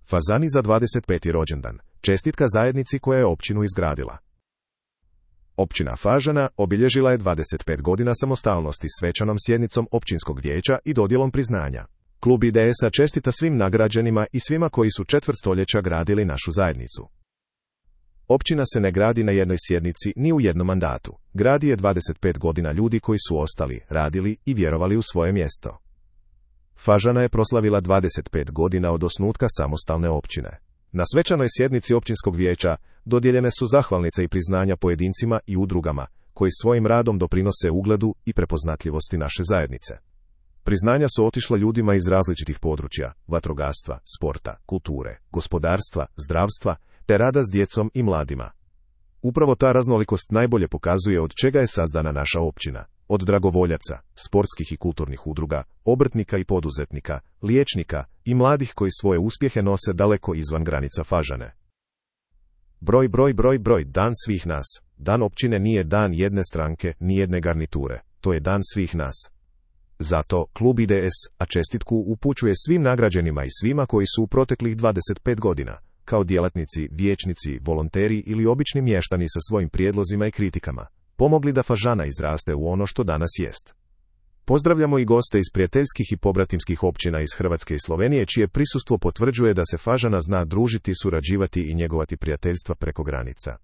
Fazani za 25. rođendan. Čestitka zajednici koja je općinu izgradila. Općina Fažana obilježila je 25 godina samostalnosti svečanom sjednicom općinskog vijeća i dodjelom priznanja. Klub IDS-a čestita svim nagrađenima i svima koji su četvrt stoljeća gradili našu zajednicu. Općina se ne gradi na jednoj sjednici ni u jednom mandatu. Gradi je 25 godina ljudi koji su ostali, radili i vjerovali u svoje mjesto. Fažana je proslavila 25 godina od osnutka samostalne općine. Na svečanoj sjednici općinskog vijeća dodijeljene su zahvalnice i priznanja pojedincima i udrugama koji svojim radom doprinose ugledu i prepoznatljivosti naše zajednice. Priznanja su otišla ljudima iz različitih područja: vatrogastva, sporta, kulture, gospodarstva, zdravstva te rada s djecom i mladima. Upravo ta raznolikost najbolje pokazuje od čega je sazdana naša općina. Od dragovoljaca, sportskih i kulturnih udruga, obrtnika i poduzetnika, liječnika i mladih koji svoje uspjehe nose daleko izvan granica Fažane. Broj, dan svih nas. Dan općine nije dan jedne stranke, ni jedne garniture. To je dan svih nas. Zato klub IDS, a čestitku upućuje svim nagrađenima i svima koji su u proteklih 25 godina, kao djelatnici, vijećnici, volonteri ili obični mještani sa svojim prijedlozima i kritikama, pomogli da Fažana izraste u ono što danas jest. Pozdravljamo i goste iz prijateljskih i pobratimskih općina iz Hrvatske i Slovenije, čije prisustvo potvrđuje da se Fažana zna družiti, surađivati i njegovati prijateljstva preko granica.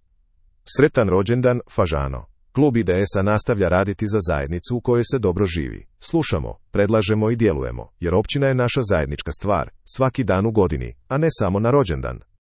Sretan rođendan, Fažano! Klub IDS-a nastavlja raditi za zajednicu u kojoj se dobro živi. Slušamo, predlažemo i djelujemo, jer općina je naša zajednička stvar, svaki dan u godini, a ne samo na rođendan.